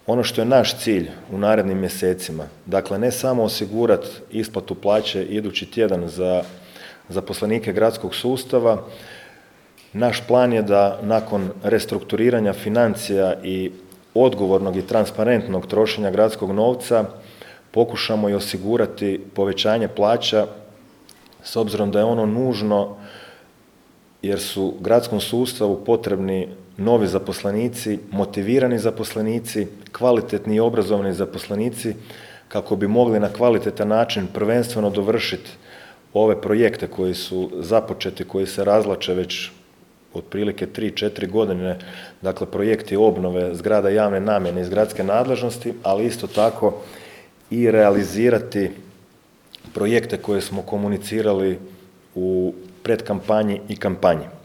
Ono što je naš cilj u narednim mjesecima, dakle ne samo osigurati isplatu plaće idući tjedan za zaposlenike gradskog sustava, naš plan je da nakon restrukturiranja financija i odgovornog i transparentnog trošenja gradskog novca pokušamo i osigurati povećanje plaća s obzirom da je ono nužno jer su gradskom sustavu potrebni novi zaposlenici, motivirani zaposlenici, kvalitetni i obrazovani zaposlenici kako bi mogli na kvalitetan način prvenstveno dovršiti ove projekte koji su započeti, koji se razvlače već otprilike 3-4 godine, dakle projekti obnove zgrada javne namjene iz gradske nadležnosti, ali isto tako i realizirati projekte koje smo komunicirali u predkampanji i kampanji.